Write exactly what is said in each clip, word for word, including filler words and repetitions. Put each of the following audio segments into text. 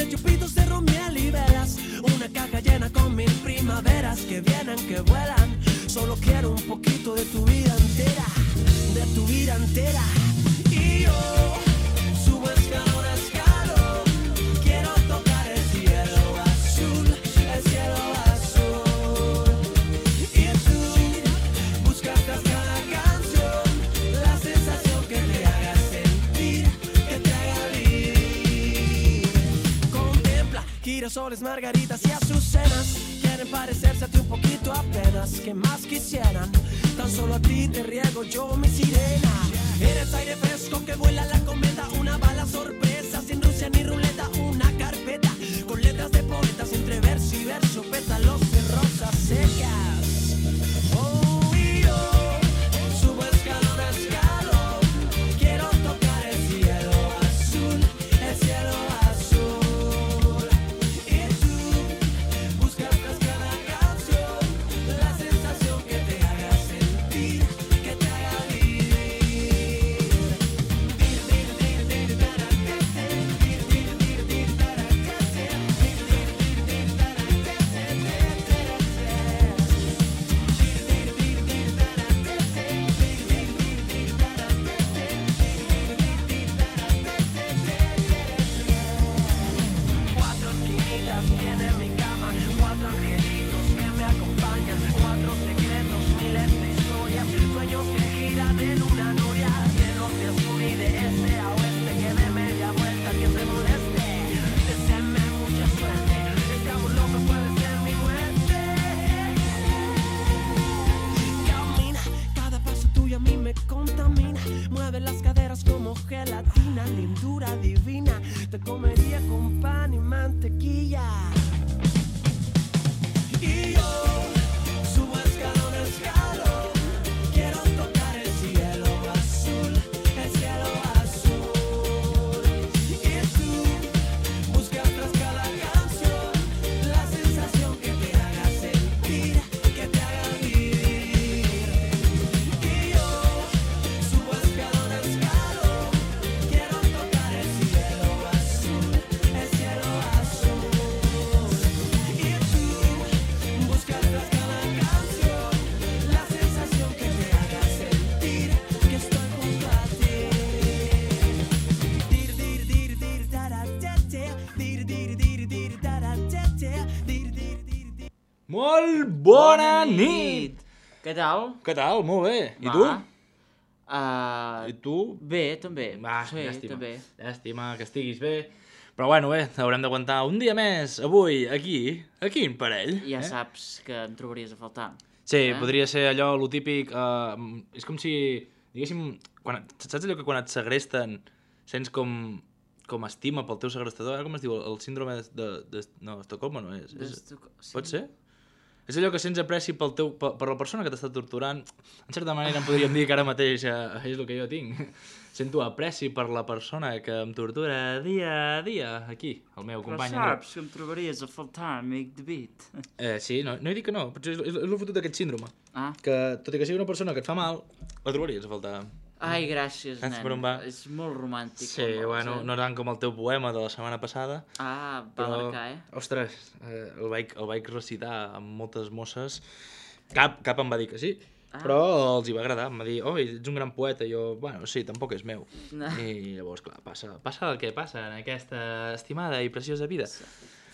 de chupitos de romiel y velas, una caja llena con mil primaveras que vienen, que vuelan. Solo quiero un poquito de tu vida entera, de tu vida entera. Y yo subo escalón a escalón, quiero tocar el cielo azul, el cielo azul. Y tú buscas tras cada canción la sensación que te haga sentir, que te haga vivir. Contempla girasoles, margaritas y azucenas, quieren parecerse a ti un poquito apenas. ¿Qué más quisieran? Tan solo a ti te riego yo mi sirena. Eres aire fresco que vuela la cometa, una bala sorpresa sin Rusia ni ruleta, una carpeta con letras de poetas entre verso y verso, pétalos de rosas secas. Oh, y yo subo escalón a escalón, quiero tocar el cielo azul, el cielo azul. Y tú buscas tras cada canción la sensación que te haga sentir, que te haga vivir. Cuatro esquinitas tiene mi cama, cuatro angelitos que me acompañan, cuatro secretos, miles de historias, sueños que giran en una noria, llenos de sur y de este a oeste, que de media vuelta que se moleste. Deséame mucha suerte, este amor loco puede ser mi muerte. Camina, cada paso tuyo a mí me contamina, mueve las caderas como gelatina, lindura divina, te comería con pan y mantequilla. Y yo subo escalón a escalón, quiero tocar el cielo azul, el cielo azul. Y tú buscas tras cada canción la sensación que te haga sentir, que te haga vivir. Y yo subo escalón a escalón, quiero tocar el cielo azul, el cielo azul. Y tú buscas tras cada canción la sensación que te haga sentir que estoy junto a ti. Dir, dir, dir, dir, taratete, dir, dir, dir, dir, taratete, dir, dir, dir, dir. Molt bona nit! Què tal? Què tal? Molt bé. I Va. tu? Uh, I tu? Bé, també. Va, sí, llàstima. també. Llàstima que estiguis bé. Però bueno, bé, haurem d'aguantar un dia més, avui, aquí, aquí en parell. Ja eh? saps que em trobaries a faltar. Sí, eh? podria ser allò, lo típic... Uh, és com si, diguéssim, quan, saps allò que quan et segresten sents com, com estima pel teu segrestador? Ara com es diu? El síndrome de... de, de no, Estocolmo no és. és Estoc- sí. Pot ser? És allò que sents apreci pel teu, per, per la persona que t'està torturant. En certa manera en podríem dir que ara mateix eh, és el que jo tinc. Sento apreci per la persona que em tortura dia a dia, aquí, el meu Però company. Andreu. saps que em trobaries a faltar, amic David. Eh, sí, no, no he dit que no, potser és, és, és el fotut d'aquest síndrome. Ah, Que tot i que sigui una persona que et fa mal, la trobaries a faltar. ai, gràcies, Saps nen. per on va? És molt romàntic. Sí, com vols, bueno, eh? no tant com el teu poema de la setmana passada, Ah, va però, marcar, eh? ostres, eh, el, vaig, el vaig recitar amb moltes mosses. Cap, cap em va dir que sí, Ah. però els hi va agradar. Em va dir, oh, ets un gran poeta. I jo, bueno, sí, tampoc és meu. No. I llavors, clar, passa, passa el que passa en aquesta estimada i preciosa vida.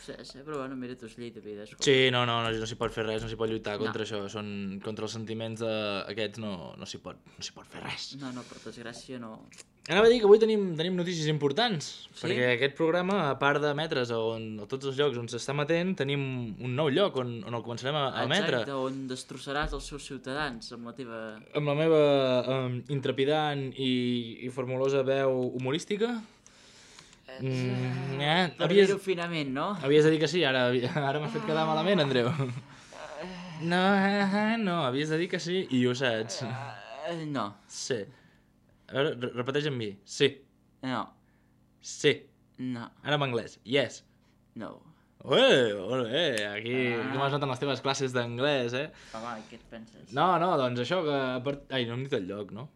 Sí, sí, però bueno, mira, tu és llei de vida. Escolta. Sí, no, no, no, no s'hi pot fer res, no s'hi pot lluitar contra No. això. Són, contra els sentiments d'aquests no, no s'hi pot, no s'hi pot fer res. No, no, per desgràcia no. Anava a dir que avui tenim, tenim notícies importants, Sí? perquè aquest programa, a part d'emetre's on, a tots els llocs on s'està emetent, tenim un nou lloc on, on el començarem a, a emetre. Exacte, on destrossaràs els seus ciutadans amb la teva... Amb la meva um, intrepidant i, i formulosa veu humorística. Mm, eh, Per havies, dir-ho finament, no? havies de dir que sí, ara, ara m'has fet quedar malament, Andreu. No, eh, no, havies de dir que sí i ho saps. Eh, no, Sí. A veure, re- repeteix amb mi. Sí. no, Sí. no, Ara en anglès. Yes. no. Ué, molt bé, aquí Ah. com has notat en les teves classes d'anglès, eh? Home, què et penses? No, no, doncs això que... a part- Ai, no hem dit el lloc, no?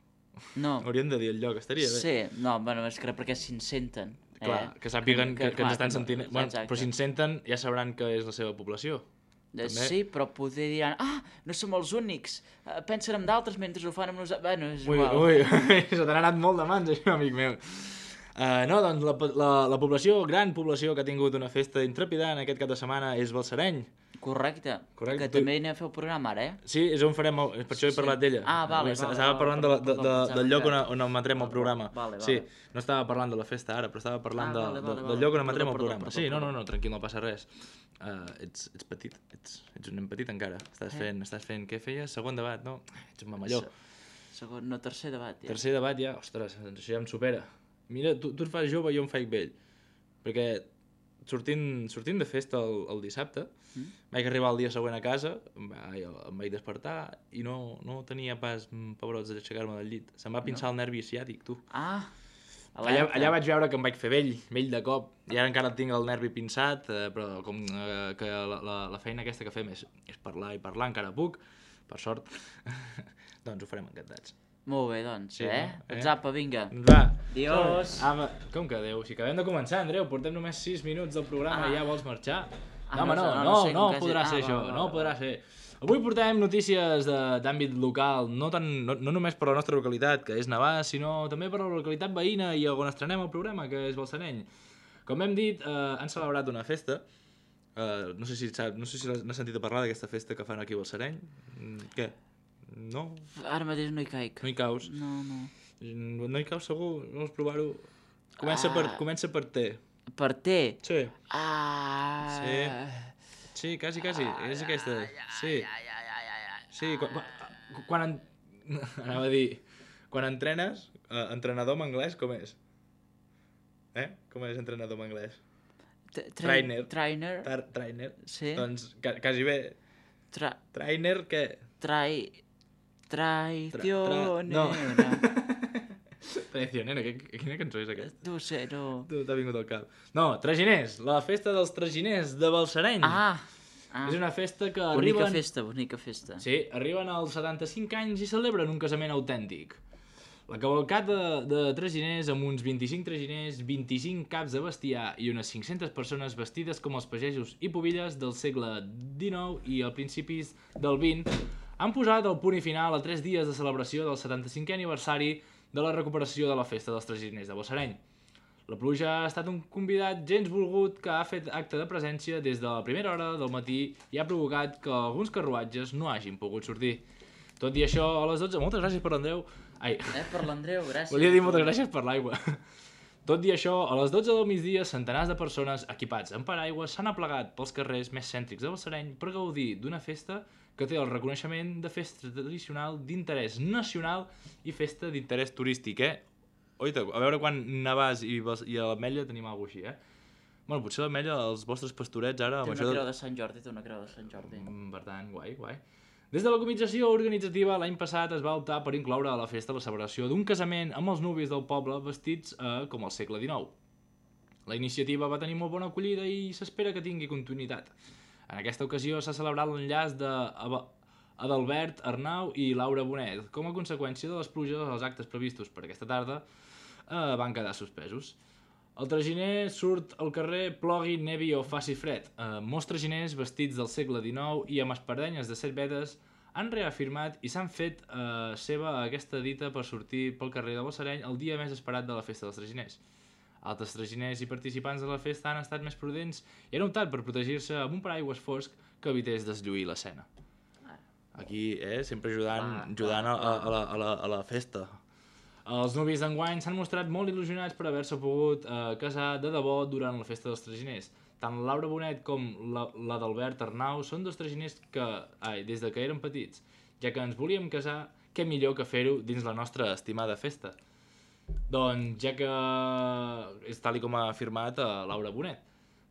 No. Hauríem de dir el lloc, estaria bé. Sí, no, bueno, és que perquè si ens senten. Clar, eh? que sàpiguen que, que, que ens clar, estan no, sentint... Bueno, exacte. però si ens senten ja sabran que és la seva població. Eh, també. Sí, però poder diran, ah, no som els únics, uh, pensen en d'altres mentre ho fan amb nosaltres. Bueno, és Ui, igual. ui, se t'ha anat molt de mans, això, amic meu. Uh, no, doncs la, la, la població, gran població que ha tingut una festa intrepidant aquest cap de setmana és Balsareny. Correcte. Correcte. Que també hi anem a fer el programa ara, eh? Sí, és on farem, el, per això he Sí. parlat d'ella. Ah, vale, Estava vale, vale, parlant de, la- de, perdó, de, pensava del lloc que- on, on emetrem el programa. Vale, vale. Sí, no estava parlant de la festa ara, però estava parlant Ah, de, vale, de, vale, del vale. lloc on Perdó, emetrem el perdó, programa. perdó, Sí, no, perdó. no, no, tranquil, no passa res. Uh, ets, ets petit, ets, ets un nen petit encara. Estàs Eh? fent, estàs fent, què feies? Segon debat, no? Ets un mamalló. Se- Segon, no, tercer debat, ja. Tercer debat ja, ostres, doncs això ja em supera. Mira, tu, tu et fas jove i jo em faig vell. Perquè sortint, sortint de festa el, el dissabte, Mm? vaig arribar el dia següent a casa, em vaig, em vaig despertar i no, no tenia pas mm, pebrots d'aixecar-me del llit. Se'm va pinçar no. el nervi ciàtic, tu. Ah, Allà, alerta. allà vaig veure que em vaig fer vell, vell de cop. I ara encara tinc el nervi pinçat, eh, però com eh, que la, la, la feina aquesta que fem és, és parlar i parlar, encara puc, per sort. Doncs ho farem encantats. Molt bé, doncs, Sí, eh? no? Eh? Doncs apa, vinga. Va. Adiós. Ah, va. Com que adéu? Si acabem de començar, Andreu, portem només sis minuts del programa Ah. i ja vols marxar? Ah, No, home, no, no, no, no no, sé, no, com que podrà hagi- ser ah, això, va, va, no va, podrà va. ser. Avui portem notícies de- d'àmbit local, no, tan, no, no només per la nostra localitat, que és Navàs, sinó també per la localitat veïna i on estrenem el programa, que és Balsareny. Com hem dit, eh, han celebrat una festa. Eh, no sé si sap, no sé si n'has sentit a parlar d'aquesta festa que fan aquí a Balsareny. Mm, Què? No? Ara mateix no hi caic. No hi caus? No, no. No hi caus segur? Vols provar-ho? Comença, per, Ah. comença per T. Per té. Sí. Ah... Sí. Sí, quasi, quasi. És aquesta. Sí. Sí, quan, quan, quan en... anava a dir, quan entrenes, eh, entrenador en anglès, com és? Eh? Com és entrenador en anglès? T- tra- Trainer. Trainer. Tar trainer. Sí. Doncs ca quasi bé. Tra... Trainer, què? Trai... Traicionera. No. Traicionera, que, quina cançó és aquesta? No sé, no... Tu t'ha vingut al cap. No, Traginers, la festa dels Traginers de Balsareny. Ah! ah. És una festa que Bonica arriben... festa, bonica festa. Sí, arriben als setanta-cinc anys i celebren un casament autèntic. La cavalcada de, de traginers amb uns vint-i-cinc traginers, vint-i-cinc caps de bestiar i unes cinc-centes persones vestides com els pagesos i pobilles del segle dinou i a principis del vint han posat el punt i final a tres dies de celebració del setanta-cinquè aniversari de la recuperació de la festa dels traginers de Balsareny. La pluja ha estat un convidat gens volgut que ha fet acte de presència des de la primera hora del matí i ha provocat que alguns carruatges no hagin pogut sortir. Tot i això, a les dotze... Moltes gràcies per l'Andreu. Ai, Eh, per l'Andreu, gràcies. volia dir moltes gràcies per l'aigua. Tot i això, a les dotze del migdia, centenars de persones equipats en paraigües s'han aplegat pels carrers més cèntrics de Balsareny per gaudir d'una festa que té el reconeixement de festa tradicional d'interès nacional i festa d'interès turístic, eh? Oita, a veure quan Navàs i, Bas- i a l'Ametlla tenim alguna cosa així, eh? Bueno, potser l'Ametlla, els vostres pastorets ara... Té amb una això de- creu de Sant Jordi, té una creu de Sant Jordi. Mm, Per tant, guai, guai. Des de la comització organitzativa, l'any passat es va optar per incloure a la festa la celebració d'un casament amb els nuvis del poble vestits eh, com al segle dinou. La iniciativa va tenir molt bona acollida i s'espera que tingui continuïtat. En aquesta ocasió s'ha celebrat l'enllaç de Ava- Adalbert Arnau i Laura Bonet. Com a conseqüència de les pluges, els actes previstos per aquesta tarda eh, van quedar suspesos. El traginer surt al carrer, plogui, nevi o faci fred. Eh, molts traginers vestits del segle dinou i amb espardenyes de set vedes han reafirmat i s'han fet eh, seva aquesta dita per sortir pel carrer de Balsareny el dia més esperat de la festa dels traginers. Altres traginers i participants de la festa han estat més prudents i han optat per protegir-se amb un paraigües fosc que evités deslluir l'escena. Aquí, eh, sempre ajudant, ajudant a, a, a, la, a, la, a la festa. Els nuvis d'enguany s'han mostrat molt il·lusionats per haver-se pogut eh, casar de debò durant la festa dels traginers. Tant la Laura Bonet com la, la d'Albert Arnau són dos traginers que, ai, des de que eren petits, ja que ens volíem casar, què millor que fer-ho dins la nostra estimada festa. Doncs ja que és tal i com ha afirmat a Laura Bonet.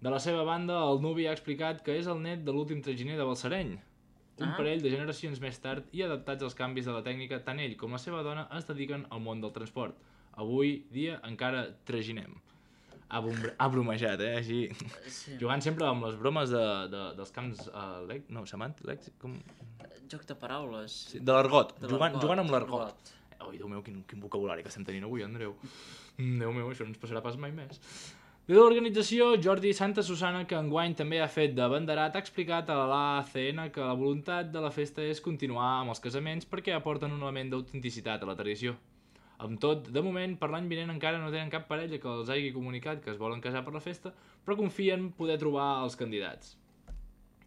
De la seva banda, el nuvi ha explicat que és el net de l'últim traginer de Balsareny. Un Ah. parell de generacions més tard i adaptats als canvis de la tècnica, tant ell com la seva dona es dediquen al món del transport. Avui dia encara traginem. Ha, bom- ha bromejat, eh? Així, Sí. jugant sempre amb les bromes de, de, dels camps... Uh, lec... No, semàntic, lèxic, com... Joc de paraules. Sí, de l'argot, De jugant, l'argot, jugant amb l'argot. Ui, Déu meu, quin, quin vocabulari que estem tenint avui, Andreu. Déu meu, això no ens passarà pas mai més. Des de l'organització, Jordi Santa Susana, que enguany també ha fet de banderat, ha explicat a l'A C N que la voluntat de la festa és continuar amb els casaments perquè aporten un element d'autenticitat a la tradició. Amb tot, de moment, per l'any vinent encara no tenen cap parella que els hagi comunicat que es volen casar per la festa, però confien poder trobar els candidats.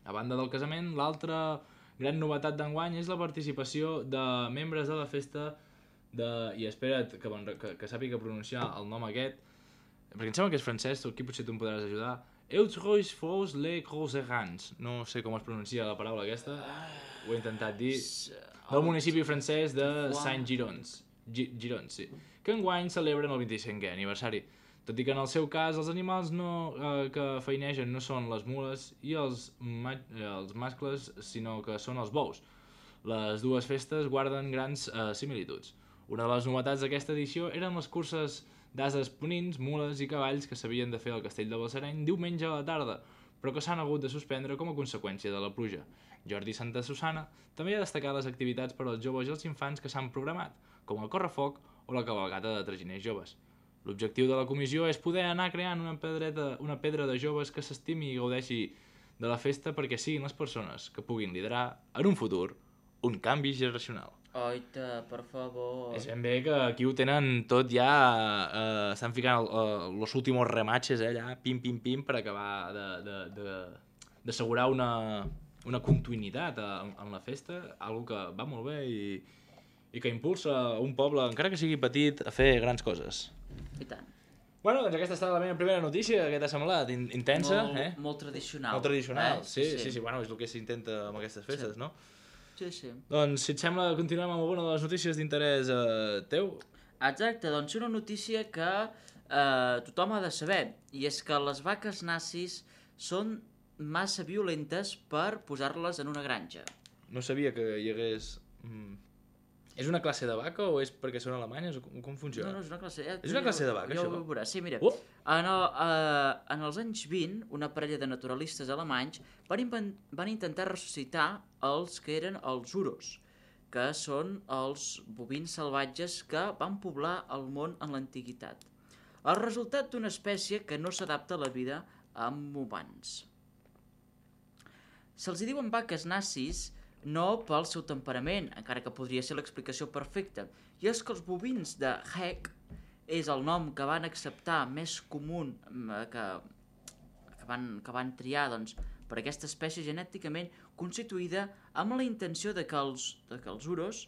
A banda del casament, l'altra gran novetat d'enguany és la participació de membres de la festa de... i espera't que, que, que sàpiga pronunciar el nom aquest, perquè em sembla que és francès, tu aquí potser tu em podràs ajudar. Eutreus fos les Groserans. No sé com es pronuncia la paraula aquesta, ho he intentat dir. Del municipi francès de Saint-Girons. Girons, sí. Que enguany celebren el vint-i-cinquè aniversari. Tot i que en el seu cas els animals no, eh, que feinegen no són les mules i els, ma els mascles, sinó que són els bous. Les dues festes guarden grans eh, similituds. Una de les novetats d'aquesta edició eren les curses d'ases ponins, mules i cavalls que s'havien de fer al castell de Balsareny diumenge a la tarda, però que s'han hagut de suspendre com a conseqüència de la pluja. Jordi Santa Susana també ha destacat les activitats per als joves i els infants que s'han programat, com el correfoc o la cavalgata de traginers joves. L'objectiu de la comissió és poder anar creant una, pedreta, una pedra de joves que s'estimi i gaudeixi de la festa perquè siguin les persones que puguin liderar, en un futur, un canvi generacional. Oita, per favor. És ben bé que aquí ho tenen tot ja, eh, estan ficant el, los últimos rematches, eh, allà, pim, pim, pim, per acabar d'assegurar una, una continuïtat en, en la festa, algo que va molt bé i, i que impulsa un poble, encara que sigui petit, a fer grans coses. I tant. Bueno, doncs aquesta ha estat la meva primera notícia, què t'ha semblat? Intensa, molt, eh? Molt tradicional. Molt tradicional, eh? sí, sí, sí, sí, bueno, és el que s'intenta amb aquestes festes, sí. no? Sí, sí. Doncs, si et sembla, continuem amb alguna de les notícies d'interès eh, teu. Exacte, doncs una notícia que eh, tothom ha de saber, i és que les vaques nazis són massa violentes per posar-les en una granja. No sabia que hi hagués... Mm. És una classe de vaca o és perquè són alemanyes o com, com funciona? No, no, és una classe... Ja, és una classe de vaca, ja això? Ja ho veuràs, sí, mira. Oh. En, el, uh, en els anys vint, una parella de naturalistes alemanys van, van intentar ressuscitar els que eren els uros, que són els bovins salvatges que van poblar el món en l'antiguitat. El resultat d'una espècie que no s'adapta a la vida amb humans. Se'ls diuen vaques nazis no pel seu temperament, encara que podria ser l'explicació perfecta, i és que els bovins de Heck és el nom que van acceptar més comú, que, que, van, que van triar doncs, per aquesta espècie genèticament constituïda amb la intenció de que els, de que els uros,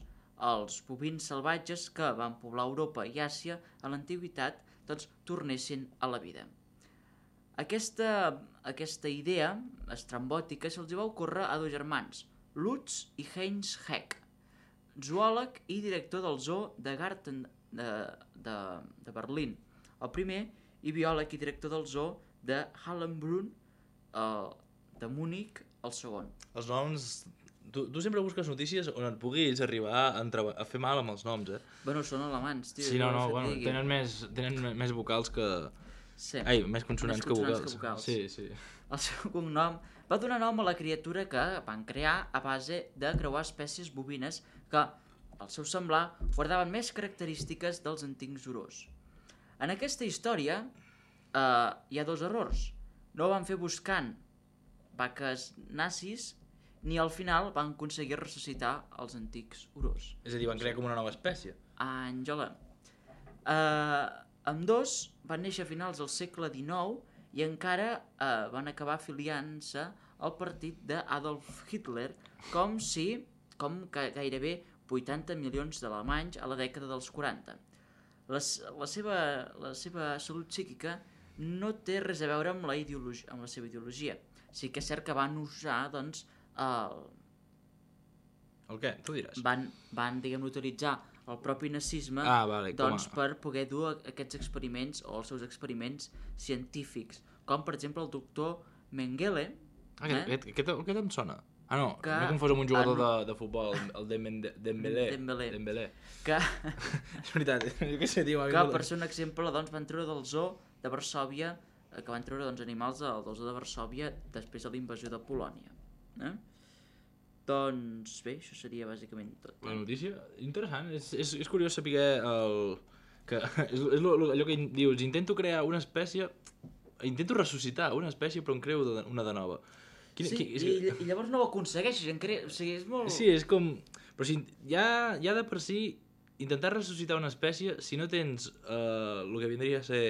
els bovins salvatges que van poblar Europa i Àsia a l'antiguitat, doncs tornessin a la vida. Aquesta, aquesta idea estrambòtica se'ls va ocórrer a dos germans, Lutz i Heinz Heck, zoòleg i director del zoo de Garten de, de, de Berlín, el primer, i biòleg i director del zoo de Hallenbrunn, eh, de Múnich, el segon. Els noms... Tu, tu sempre busques notícies on et puguis arribar a, entreba... a fer mal amb els noms, eh? Bueno, són alemanys, tio. Sí, no, no, bueno, tenen més, tenen més vocals que... Sí. Ai, més consonants, més consonants que, vocals. que vocals. Sí, sí. El seu cognom va donar nom a la criatura que van crear a base de creuar espècies bovines que, al seu semblar, guardaven més característiques dels antics urós. En aquesta història eh, hi ha dos errors. No van fer buscant vaques nazis ni al final van aconseguir ressuscitar els antics urós. És a dir, van crear com una nova espècie. Àngela. Eh, ambdós van néixer a finals del segle dinou i encara eh, van acabar afiliant-se al partit d'Adolf Hitler, com si, com que gairebé vuitanta milions d'alemanys a la dècada dels quaranta. Les, la, seva, la seva salut psíquica no té res a veure amb la, amb la seva ideologia. Sí que és cert que van usar, doncs, el... El què? Tu diràs. Van, van diguem, utilitzar el propi nazisme ah, vale, doncs, a... per poder dur aquests experiments o els seus experiments científics, com per exemple el doctor Mengele. Ah, eh? aquest, aquest, aquest em sona. Ah, no, que... m'he confós amb un jugador ah, no. de, de futbol, el Dembélé. Dembélé. Dembélé. Que... és veritat, jo què sé, tio. Que, per ser un exemple, doncs, van treure del zoo de Varsòvia, que van treure doncs, animals del zoo de Varsòvia després de la invasió de Polònia. Eh? Doncs bé, això seria bàsicament tot. La notícia, interessant, és, és, és curiós saber el... que és, és lo, lo, allò que dius, intento crear una espècie, intento ressuscitar una espècie però en creo de, una de nova. Quina, sí, qui, és... i, i llavors no ho aconsegueixes, en cre... o sigui, és molt... Sí, és com... Però si ja, ja de per si intentar ressuscitar una espècie, si no tens uh, el que vindria a ser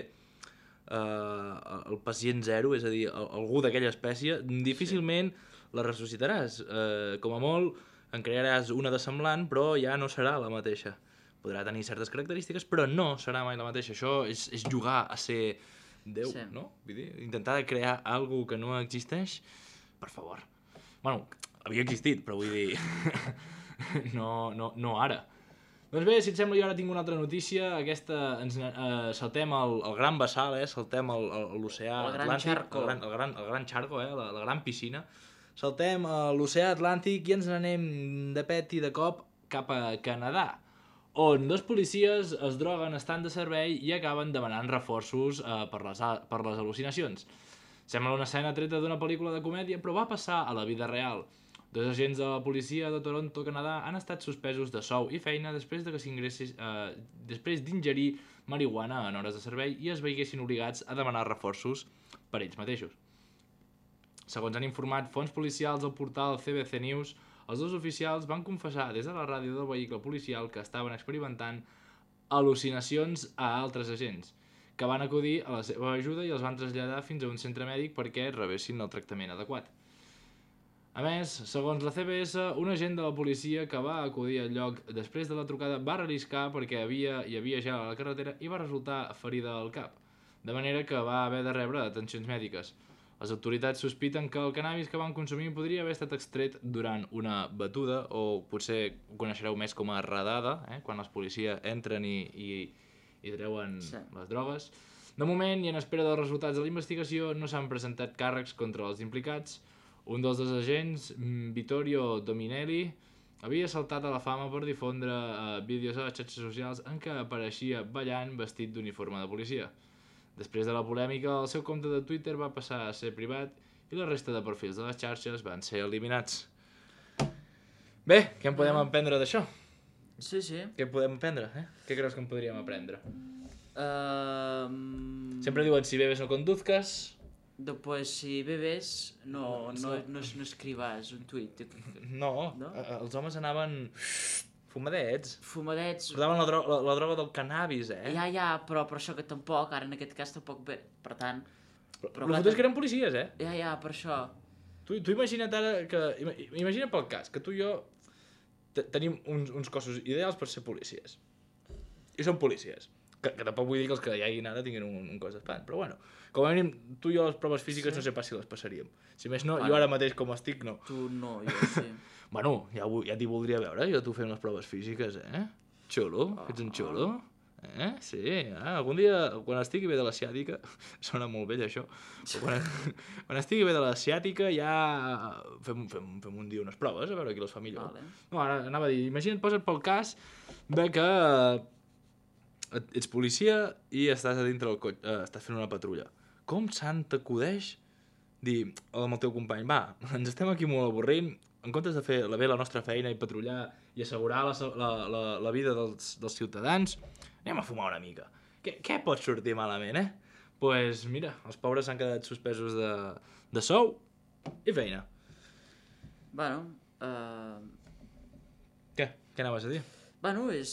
uh, el pacient zero, és a dir, algú d'aquella espècie, difícilment sí. la ressuscitaràs. Uh, com a molt en crearàs una de semblant, però ja no serà la mateixa. Podrà tenir certes característiques, però no serà mai la mateixa. Això és, és jugar a ser Déu, sí. no? Vull dir, intentar crear alguna que no existeix, per favor. Bueno, havia existit, però vull dir... no, no, no ara. Doncs bé, si et sembla, jo ara tinc una altra notícia. Aquesta, ens eh, saltem el, el gran vessal, eh? Saltem l'oceà Atlàntic. El gran, el, gran, el gran xarco, eh? la, la gran piscina. Saltem l'oceà Atlàntic i ens n'anem de pet i de cop cap a Canadà, on dos policies es droguen estant de servei i acaben demanant reforços eh, per, les, per les al·lucinacions. Sembla una escena treta d'una pel·lícula de comèdia, però va passar a la vida real. Dos agents de la policia de Toronto, Canadà, han estat suspesos de sou i feina després de que s'ingressis, eh, després d'ingerir marihuana en hores de servei i es veiessin obligats a demanar reforços per ells mateixos. Segons han informat fonts policials al portal C B C News, els dos oficials van confessar des de la ràdio del vehicle policial que estaven experimentant al·lucinacions a altres agents, que van acudir a la seva ajuda i els van traslladar fins a un centre mèdic perquè rebessin el tractament adequat. A més, segons la C B S, un agent de la policia que va acudir al lloc després de la trucada va relliscar perquè havia, hi havia gel a la carretera i va resultar ferida al cap, de manera que va haver de rebre atencions mèdiques. Les autoritats sospiten que el cannabis que van consumir podria haver estat extret durant una batuda, o potser ho coneixereu més com a redada, eh? Quan els policies entren i, i, i treuen sí. les drogues. De moment, i en espera dels resultats de la investigació, no s'han presentat càrrecs contra els implicats. Un dels dos agents, Vittorio Dominelli, havia saltat a la fama per difondre eh, vídeos a les xarxes socials en què apareixia ballant vestit d'uniforme de policia. Després de la polèmica, el seu compte de Twitter va passar a ser privat i la resta de perfils de les xarxes van ser eliminats. Bé, què en podem aprendre d'això? Sí, sí. Què podem aprendre? Eh? Què creus que en podríem aprendre? Um... Sempre diuen, si bebes no conduzcas. Pues si bebes no, no, no, no escrivas un tuit. No, no? Els homes anaven... Fumadets. Fumadets. Portaven la, dro la, la droga del cannabis, eh? Ja, ja, però per això que tampoc, ara en aquest cas tampoc bé, per tant... Però, però el fotut és que eren policies, eh? Ja, ja, per això. Tu, tu imagina't ara que... Imagina pel cas, que tu i jo tenim uns, uns cossos ideals per ser policies. I són policies. Que, que tampoc vull dir que els que hi hagin ara tinguin un, un cos d'espant, però bueno. Com a mínim, tu i jo les proves físiques sí. no sé pas si les passaríem. Si més no, bueno, jo ara mateix com estic, no. Tu no, jo sí. Bueno, ja, ja t'hi voldria veure, jo tu fent les proves físiques, eh? Xulo, oh. Ets un xulo. Eh? Sí, eh? Algun dia, quan estigui bé de l'asiàtica, sona molt vell això, però quan, quan estigui bé de l'asiàtica ja fem, fem, fem un dia unes proves, a veure qui les fa millor. Vale. No, ara anava a dir, imagina't, posa't pel cas de que ets policia i estàs a dintre del cotxe, eh, estàs fent una patrulla. Com se'n t'acudeix dir amb el teu company, va, ens estem aquí molt avorrint, en comptes de fer bé la nostra feina i patrullar i assegurar la, la, la, la vida dels, dels ciutadans, anem a fumar una mica. Què, què pot sortir malament, eh? Doncs pues mira, els pobres s'han quedat suspesos de, de sou i feina. Bueno, uh... Què? Què anaves a dir? Bueno, és,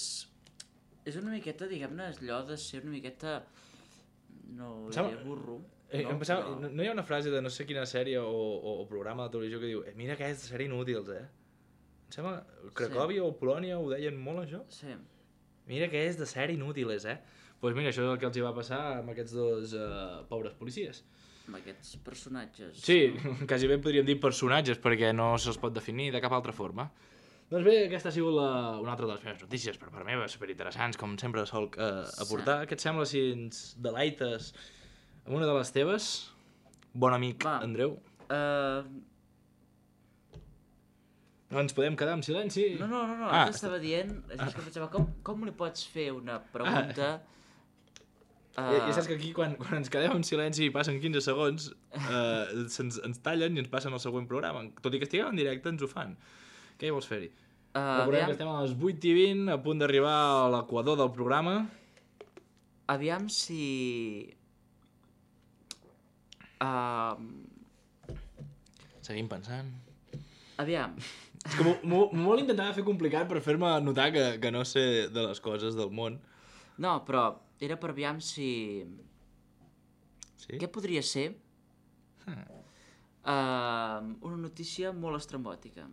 és una miqueta, diguem-ne, allò de ser una miqueta... No, diré burro. Eh, no, pensava, però... no, no hi ha una frase de no sé quina sèrie o, o, o programa de televisió que diu eh, mira que és de ser inútils, eh? Em sembla, Cracòvia sí. o Polònia ho deien molt, això? Sí. Mira que és de ser inútils, eh? Doncs pues mira, això és el que els hi va passar amb aquests dos uh, pobres policies. Amb aquests personatges. Sí, no? Quasi bé podríem dir personatges, perquè no se'ls pot definir de cap altra forma. Doncs bé, aquesta ha sigut la, una altra de les meves notícies, per part meva, superinteressants, com sempre sol uh, aportar. Sí. Què et sembla si ens delaites amb una de les teves? Bon amic, va. Andreu. Uh... No ens podem quedar en silenci. No, no, no, no. Ah, estava dient, és que pensava, com, com li pots fer una pregunta... Ah. Uh... Ja, ja saps que aquí, quan, quan ens quedem en silenci i passen quinze segons, uh, ens, ens tallen i ens passen al següent programa. Tot i que estiguem en directe, ens ho fan. Què hi vols fer-hi? Uh, Recordem aviam, que estem a les vuit i vint, a punt d'arribar a l'equador del programa. aviam si... Uh, Seguim pensant. aviam. És que m'ho vol intentar fer complicat per fer-me notar que, que no sé de les coses del món. No, però era per aviam si... Sí? Què podria ser? Uh, una notícia molt estrambòtica.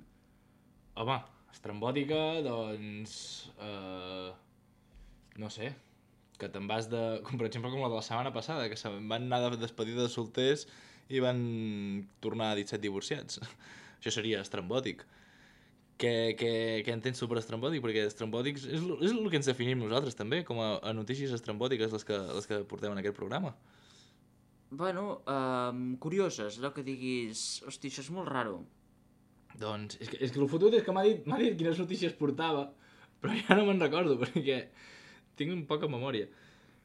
Home, estrambòtica, doncs... Uh, no sé, que te'n vas de... Com per exemple com la de la setmana passada, que se'n van anar de despedida de solters i van tornar disset divorciats. Això seria estrambòtic. Què, què, què entens tu per estrambòtic? Perquè estrambòtics és, l- és el que ens definim nosaltres també, com a, a notícies estrambòtiques les que, les que portem en aquest programa. Bueno, uh, curioses, allò que diguis... Hosti, això és molt raro. Doncs és que, és que el fotut és que m'ha dit, m'ha dit quines notícies portava, però ja no me'n recordo perquè tinc un poca memòria.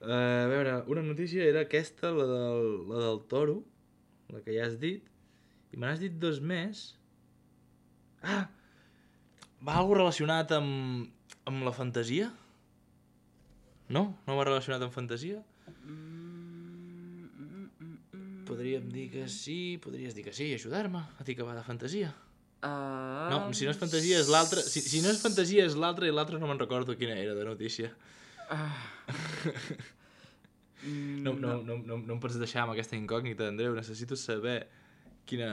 Uh, a veure, una notícia era aquesta, la del, la del toro, la que ja has dit, i me n'has dit dos més. Ah! Va algo relacionat amb, amb la fantasia? No? No va relacionat amb fantasia? Podríem dir que sí, podries dir que sí, ajudar-me, a dir que va de fantasia. Uh, No, si no és fantasia és l'altra, si, si no és fantasia és l'altra i l'altra no me'n recordo quina era de notícia. No, no, no, no, no em pots deixar amb aquesta incògnita, Andreu, necessito saber quina,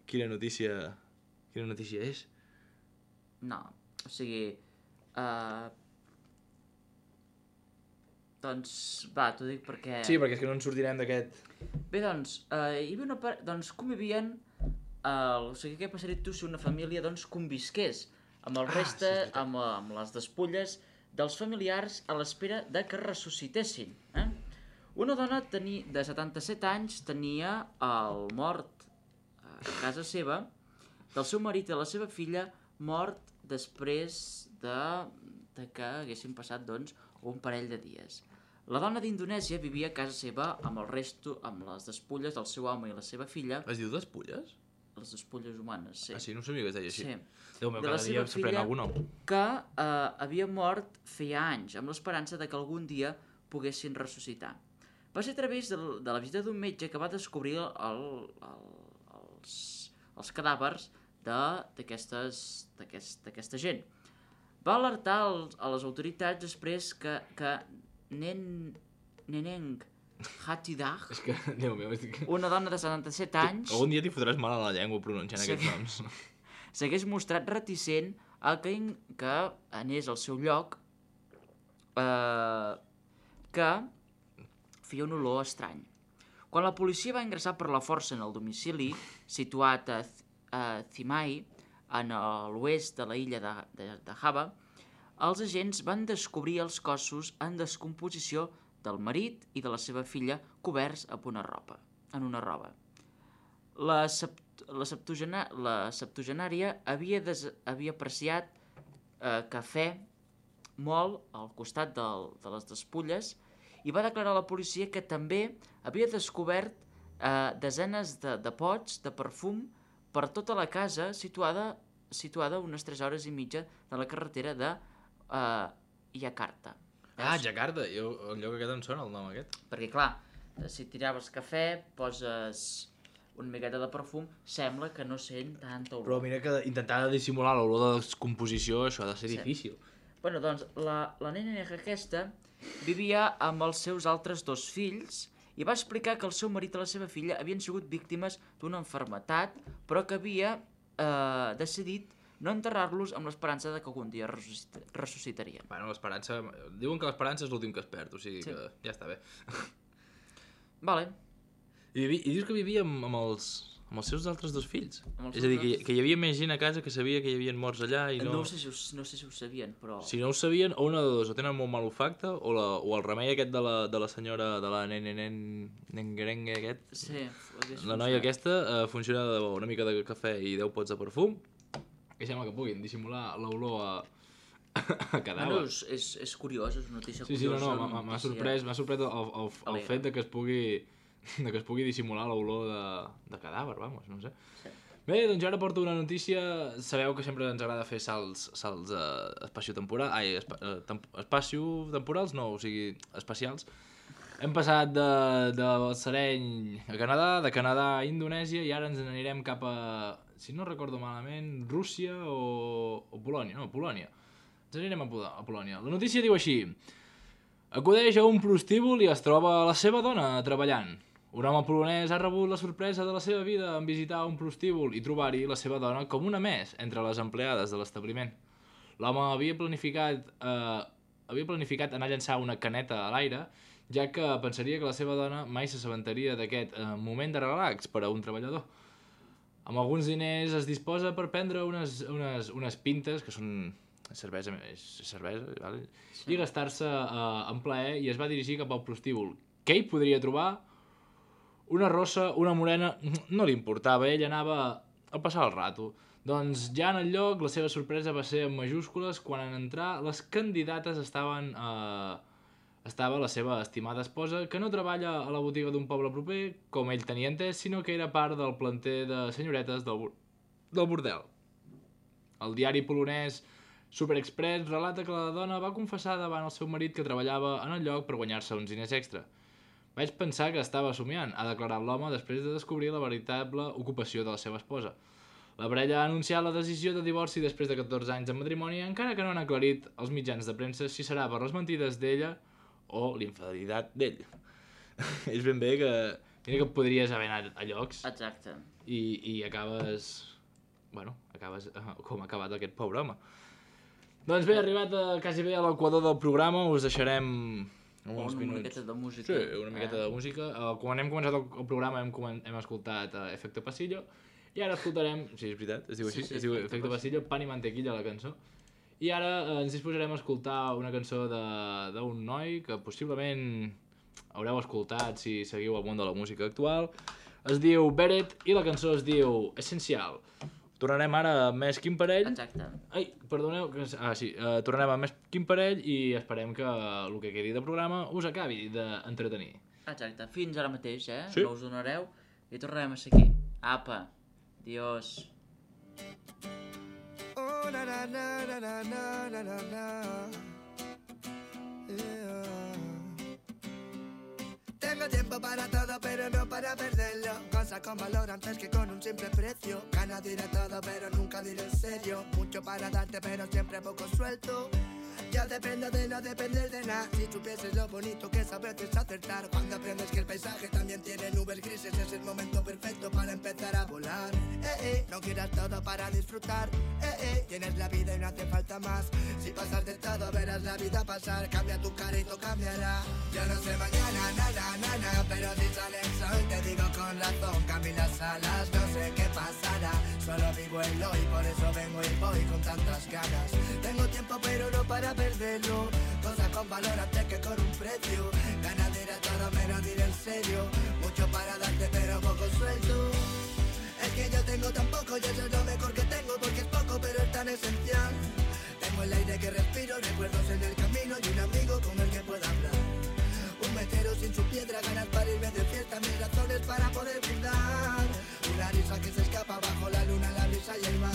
quina notícia quina notícia és. No, o sigui... Uh, doncs, va, t'ho dic perquè... Sí, perquè és que no ens sortirem d'aquest... Bé, doncs, uh, hi havia una part... Doncs convivien... Uh, o sigui, què passaria tu si una família, doncs, convisqués amb el Ah, reste, sí, és veritat. amb, amb les despulles dels familiars a l'espera de que ressuscitessin, eh? Una dona tenia, de setanta-set anys tenia el mort a casa seva del seu marit i de la seva filla mort després de, de que haguessin passat, doncs, un parell de dies. La dona d'Indonèsia vivia a casa seva amb el resto, amb les despulles del seu home i la seva filla, Es diu despulles? les despulles humanes, sí. Ah, sí, no sabia que es deia així. Sí. Déu meu, De la cada dia seva s'aprèn filla- algun nou. Que eh, havia mort feia anys, amb l'esperança de que algun dia poguessin ressuscitar. Va ser a través de, l- de la visita d'un metge que va descobrir el, el, els, els cadàvers de- d'aquestes d'aquest, d'aquesta gent. Va alertar els, a les autoritats després que, que Nen, Neneng Hatidah, És que, Déu meu, és que... una dona de setanta-set anys, Algun dia t'hi fotràs mal a la llengua pronunciant Sí. aquests noms. s'hagués mostrat reticent a que, que anés al seu lloc eh, que feia un olor estrany. Quan la policia va ingressar per la força en el domicili, situat a, Th- a Thimai, en l'oest de la illa de, de, de Java, els agents van descobrir els cossos en descomposició del marit i de la seva filla coberts amb una roba, en una roba. La, sept, la, septugena, la septuagenària havia, des, havia apreciat eh, cafè molt al costat del, de les despulles i va declarar a la policia que també havia descobert eh, desenes de, de pots de perfum per tota la casa situada, situada unes tres hores i mitja de la carretera de eh, Jakarta. Ah, Jakarta, jo, el lloc aquest em sona el nom aquest. Perquè, clar, si tiraves cafè, poses una miqueta de perfum, sembla que no sent tanta olor. Però mira que intentar dissimular l'olor de descomposició, això ha de ser Sí. difícil. Bueno, doncs, la, la nena aquesta vivia amb els seus altres dos fills i va explicar que el seu marit i la seva filla havien sigut víctimes d'una enfermetat, però que havia eh, decidit no enterrar-los amb l'esperança de que algun dia ressuscit ressuscitarien. Bueno, l'esperança... Diuen que l'esperança és l'últim que es perd, o sigui Sí. que ja està bé. Vale. I, vivi, i dius que vivia amb, amb, els, amb els seus altres dos fills? Amb els És a dir, seus que, altres- que hi havia més gent a casa que sabia que hi havia morts allà i no... No, sé si ho, no sé si ho sabien, però... Si no ho sabien, o una de dos, o tenen molt mal olfacte, o, la, o el remei aquest de la, de la senyora, de la nen, nen, nen, nengerengue aquest, Sí, hagués la noia funcionat. aquesta eh, funciona de debò, una mica de cafè i deu pots de perfum, i sembla que puguin dissimular l'olor a, a cadàver. Bueno, és, és, és curiós, és una notícia Sí, sí, no, curiosa. no, una m'ha- m'ha notícia- sorprès, m'ha sorprès el, el, el, el Alegre. fet de que es pugui de que es pugui dissimular l'olor de, de cadàver, vamos, no sé. Sí. Bé, doncs jo ara porto una notícia. Sabeu que sempre ens agrada fer salts, salts uh, espaciotemporals. Ai, espa, uh, temp, espaciotemporals, no, o sigui, espacials. Hem passat de, de Balsareny a Canadà, de Canadà a Indonèsia, i ara ens n'anirem cap a, si no recordo malament, Rússia o, o Polònia. No, Polònia. Ens anirem a, a Polònia. La notícia diu així: acudeix a un prostíbul i es troba la seva dona treballant. Un home polonès ha rebut la sorpresa de la seva vida en visitar un prostíbul i trobar-hi la seva dona com una més entre les empleades de l'establiment. L'home havia planificat, eh, havia planificat anar a llançar una caneta a l'aire, ja que pensaria que la seva dona mai s'assabentaria d'aquest eh, moment de relax per a un treballador. Amb alguns diners es disposa per prendre unes, unes, unes pintes, que són cervesa, és cervesa, vale? Sí. I gastar-se eh, en plaer, i es va dirigir cap al prostíbul. Què hi podria trobar? Una rossa, una morena, no li importava, ell anava a passar el rato. Doncs ja en el lloc la seva sorpresa va ser en majúscules quan en entrar les candidates estaven eh, estava la seva estimada esposa, que no treballa a la botiga d'un poble proper, com ell tenia entès, sinó que era part del planter de senyoretes del, del bordel. El diari polonès Super Express relata que la dona va confessar davant el seu marit que treballava en el lloc per guanyar-se uns diners extra. Vaig pensar que estava somiant, ha declarat l'home després de descobrir la veritable ocupació de la seva esposa. La parella ha anunciat la decisió de divorci després de catorze anys de matrimoni, encara que no han aclarit als mitjans de premsa si serà per les mentides d'ella o l'infidelitat d'ell. És ben bé que... Mira que podries haver anat a llocs. Exacte. I, i acabes... Bueno, acabes uh, com ha acabat aquest pobre home. Doncs bé, arribat a, quasi bé a l'equador del programa, us deixarem... Una minuts. miqueta de música. Sí, una miqueta eh? de música. Uh, quan hem començat el, el programa hem, hem escoltat uh, Efecto Pasillo, i ara escoltarem, sí, és veritat, es diu així, sí, sí, es diu Efecto Pasillo, Pan i Mantequilla, la cançó. I ara uh, ens disposarem a escoltar una cançó d'un noi que possiblement haureu escoltat si seguiu el món de la música actual. Es diu Beret i la cançó es diu Essencial. Tornarem ara amb més Quim Parell. Exacte. Ai, perdoneu, que... ah sí, uh, tornarem amb més Quim Parell i esperem que el que quedi de programa us acabi d'entretenir. Exacte, fins ara mateix, eh? Sí. No us donareu i tornarem a ser aquí. Apa, adiós. Oh, na na na na na na na na. Yeah. Tengo tiempo para todo, pero no para perderlo. Cosas con valor antes que con un simple precio. Gana diré todo, pero nunca diré en serio. Mucho para darte, pero siempre poco suelto. Yo dependo de no depender de nada. Si supieses lo bonito que es a veces acertar. Cuando aprendes que el paisaje también tiene nubes grises, es el momento perfecto para empezar a volar. Eh, eh, no quieras todo para disfrutar. Eh, eh, tienes la vida y no hace falta más. Si pasas de todo verás la vida pasar. Cambia tu cara y todo cambiará. Yo no sé mañana, nada, nada, pero si sale el sol te digo con razón. Cambio las alas, no sé qué pasará. Solo vivo el hoy, por eso vengo y voy con tantas ganas. Tengo tiempo pero no para perderlo. Cosas con valor antes que con un precio. Gana diré todo, menos diré en serio. Mucho para darte pero poco suelto. Es que yo tengo tan poco y eso es lo mejor que tengo, porque es poco pero es tan esencial. Tengo el aire que respiro, recuerdos en el camino y un amigo con el que puedo hablar. Un metero sin su piedra, ganas para irme de fiesta, mis razones para poder brindar. Una risa que se escapa bajo la luna, la brisa y el mar.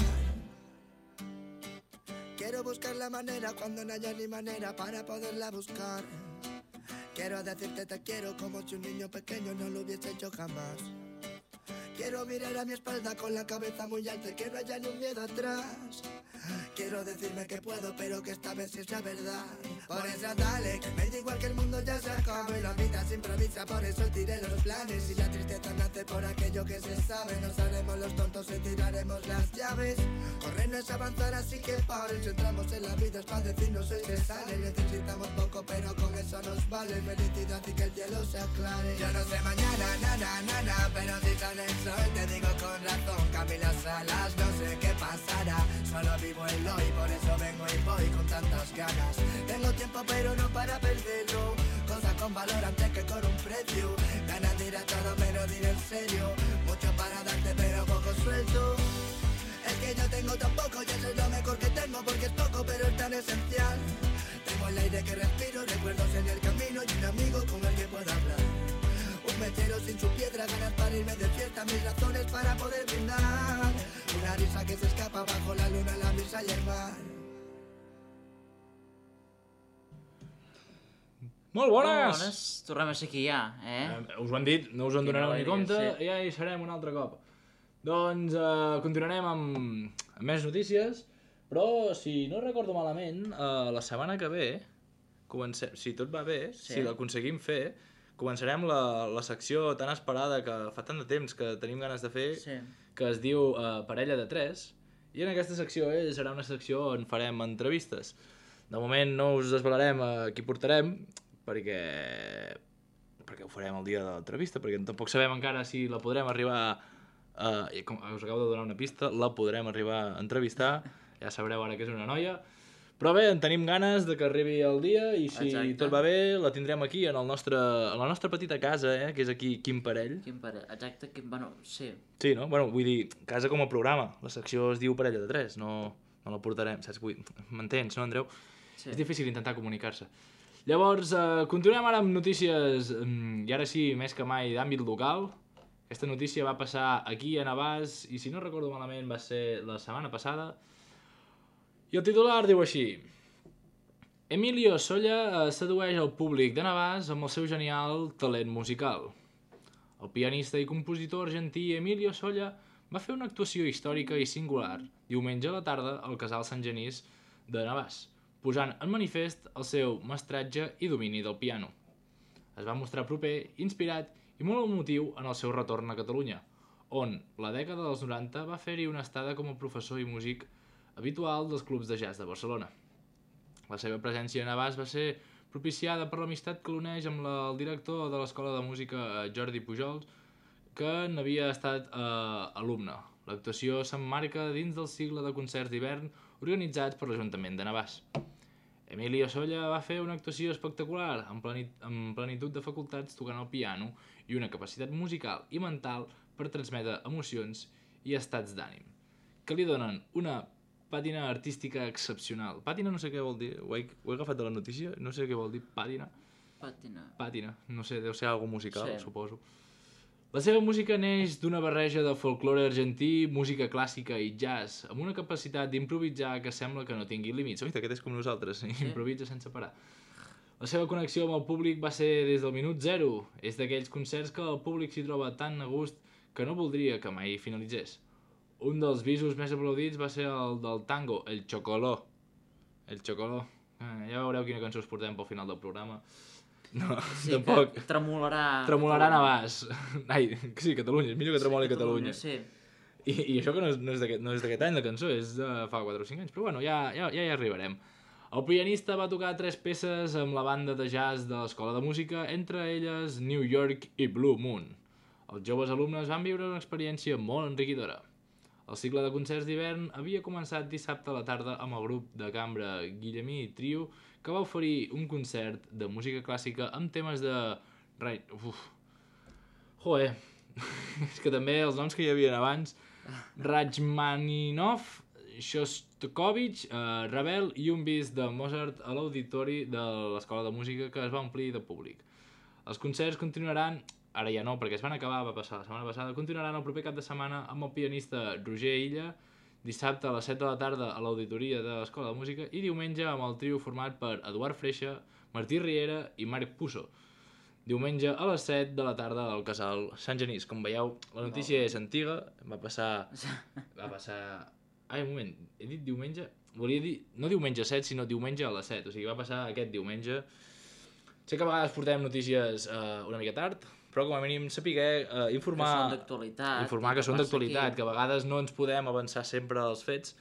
Quiero buscar la manera cuando no haya ni manera para poderla buscar. Quiero decirte te quiero como si un niño pequeño no lo hubiese hecho jamás. Quiero mirar a mi espalda con la cabeza muy alta y que no haya ni un miedo atrás. Quiero decirme que puedo, pero que esta vez sí sea verdad. Por eso dale, que me da igual que el mundo ya se acabe. La vida se improvisa, por eso tiré los planes. Y la tristeza nace por aquello que se sabe. Nos haremos los tontos y tiraremos las llaves. Correr no es avanzar, así que paren. Si entramos en la vida es para decirnos el que sale. Necesitamos poco, pero con eso nos vale. Felicidad y que el cielo se aclare. Yo no sé mañana, nana, nana, pero si sale el sol te digo con razón. Cambio las alas, no sé qué pasará. Solo vivo el hoy, por eso vengo y voy con tantas ganas. Tengo tiempo pero no para perderlo. Cosas con valor antes que con un precio. Ganas diré todo pero diré en serio. Mucho para darte pero poco suelto. Es que yo tengo tan poco y eso es lo mejor que tengo, porque es poco pero es tan esencial. Tengo el aire que respiro, recuerdos en el camino y un amigo con el que puedo hablar. Un Quiero sin su piedra ganas para irme de fiesta, mis razones para poder brindar. Una risa que se escapa bajo la luna, la brisa y el mar. Molt bones! Bones, tornem a ser aquí ja, eh? Eh, us ho han dit, no us en Quina donareu ni alegria, compte, sí. ja hi serem un altre cop. Doncs eh, continuarem amb, amb més notícies, però si no recordo malament, eh, la setmana que ve, comencem, si tot va bé, Sí. si l'aconseguim fer, començarem la, la secció tan esperada que fa tant de temps que tenim ganes de fer, Sí. que es diu eh, Parella de Tres, i en aquesta secció eh, serà una secció on farem entrevistes. De moment no us desvelarem a qui portarem, perquè perquè ho farem el dia de l'entrevista, perquè tampoc sabem encara si la podrem arribar a... i com us acabo de donar una pista, la podrem arribar a entrevistar, ja sabreu ara que és una noia, però bé, en tenim ganes de que arribi el dia i si Exacte. tot va bé la tindrem aquí en, el nostre, en la nostra petita casa, eh, que és aquí Quim Parell. Quin pare... Exacte, quin... Bueno, sí. Sí, no? Bueno, vull dir, casa com a programa, la secció es diu Parella de Tres, no, no la portarem, saps? Vull... M'entens, no, Andreu? Sí. És difícil intentar comunicar-se. Llavors, eh, continuem ara amb notícies, mm, i ara sí, més que mai, d'àmbit local. Aquesta notícia va passar aquí a Navàs, i si no recordo malament va ser la setmana passada. I el titular diu així: Emilio Solla eh, sedueix el públic de Navàs amb el seu genial talent musical. El pianista i compositor argentí Emilio Solla va fer una actuació històrica i singular diumenge a la tarda al Casal Sant Genís de Navàs, posant en manifest el seu mestratge i domini del piano. Es va mostrar proper, inspirat i molt emotiu en el seu retorn a Catalunya, on la dècada dels noranta va fer-hi una estada com a professor i músic habitual dels clubs de jazz de Barcelona. La seva presència a Navàs va ser propiciada per l'amistat que l'uneix amb la, el director de l'Escola de Música, Jordi Pujols, que n'havia estat eh, alumne. L'actuació s'emmarca dins del cicle de concerts d'hivern organitzats per l'Ajuntament de Navàs. Emilio Solla va fer una actuació espectacular, amb, plenit, amb plenitud de facultats tocant el piano i una capacitat musical i mental per transmetre emocions i estats d'ànim, que li donen una pàtina artística excepcional. Pàtina no sé què vol dir, ho he, ho he agafat de la notícia, no sé què vol dir, pàtina. Pàtina. Pàtina, no sé, deu ser algo musical, Sí. suposo. La seva música neix d'una barreja de folklore argentí, música clàssica i jazz, amb una capacitat d'improvisar que sembla que no tingui límits. Oita, aquest és com nosaltres, sí. Improvisa sense parar. La seva connexió amb el públic va ser des del minut zero. És d'aquells concerts que el públic s'hi troba tan a gust que no voldria que mai finalitzés. Un dels visos més aplaudits va ser el del tango, el Chocoló. El Chocoló. Eh, ja veureu quina cançó us portem pel final del programa. No, Sí, tampoc. que tremolarà... Tremolarà Navàs. Ai, sí, Catalunya, és millor que tremoli Sí, Catalunya. Sí. I, I això que no és, no és d'aquest no és d'aquest any, la cançó, és de fa quatre o cinc anys, però bueno, ja, ja, ja hi arribarem. El pianista va tocar tres peces amb la banda de jazz de l'Escola de Música, entre elles New York i Blue Moon. Els joves alumnes van viure una experiència molt enriquidora. El cicle de concerts d'hivern havia començat dissabte a la tarda amb el grup de cambra Guillemí Trio, que va oferir un concert de música clàssica amb temes de... Uf. Joder, és que també els noms que hi havia abans, Rachmaninov, Shostakovich, eh, Ravel i un bis de Mozart a l'auditori de l'Escola de Música que es va omplir de públic. Els concerts continuaran, ara ja no perquè es van acabar, va passar la setmana passada, continuaran el proper cap de setmana amb el pianista Roger Illa, dissabte a les set de la tarda a l'auditoria de l'Escola de Música i diumenge amb el trio format per Eduard Freixa, Martí Riera i Marc Pusso. Diumenge a les set de la tarda al Casal Sant Genís. Com veieu, la notícia és antiga, va passar... va passar... Ai, un moment, he dit diumenge? Volia dir, no diumenge set, sinó diumenge a les set, o sigui, va passar aquest diumenge. Sé que a vegades portem notícies uh, una mica tard, però com a mínim sapiguer uh, informar... Que són d'actualitat. Informar que són passa d'actualitat, aquí. que a vegades no ens podem avançar sempre als fets,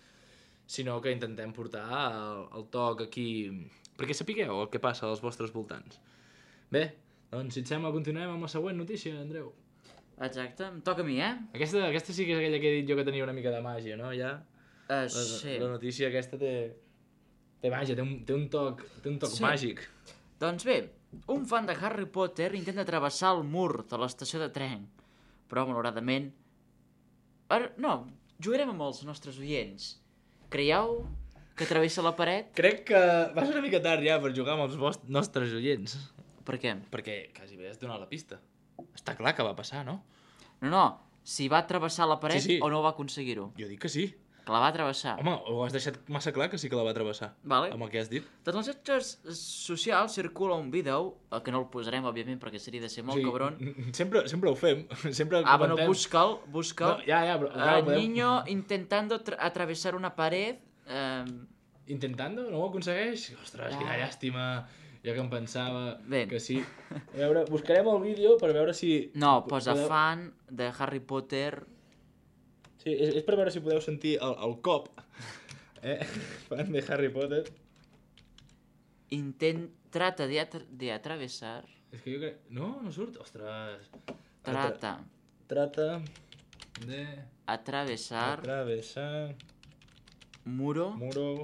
sinó que intentem portar el, el toc aquí, perquè sapigueu el que passa als vostres voltants. Bé, doncs si et sembla continuem amb la següent notícia, Andreu. Exacte, em toca a mi, eh? Aquesta, aquesta sí que és aquella que he dit jo que tenia una mica de màgia, no? Ja, Uh, la, sí. la notícia aquesta té, té màgia, té un, té un toc, té un toc Sí. màgic. Doncs bé, un fan de Harry Potter intenta travessar el mur de l'estació de tren, però malauradament... Ara, no, jugarem amb els nostres oients. Creieu que travessa la paret? Crec que va ser una mica tard ja per jugar amb els vostres, nostres oients. Per què? Perquè quasi bé has donat la pista. Està clar que va passar, no? No, no, si va travessar la paret Sí, sí. o no va aconseguir-ho. Jo dic que sí. Que la va travessar. Home, ho has deixat massa clar que sí que la va travessar. Vale. Amb el que has dit. Doncs als xarxes socials circula un vídeo, eh, que no el posarem, òbviament, perquè seria de ser molt cabron. Sempre, sempre ho fem. Sempre Ah, bueno, comentem. busca'l, busca'l. No, ja, ja, però... Eh, clar, podem- niño intentando tra- atravesar una pared... Eh, Intentando? No ho aconsegueix? Ostres, Ah. quina llàstima. Jo que em pensava Bé. que sí. A veure, buscarem el vídeo per veure si... no, posa podeu- fan de Harry Potter... Sí, és, és per veure si podeu sentir el, el cop. Eh? Fan de Harry Potter. Intent... Trata de, atra- de atravesar... És que jo crec... No, no surt. Ostres. Trata Trata de atravesar atravesar muro muro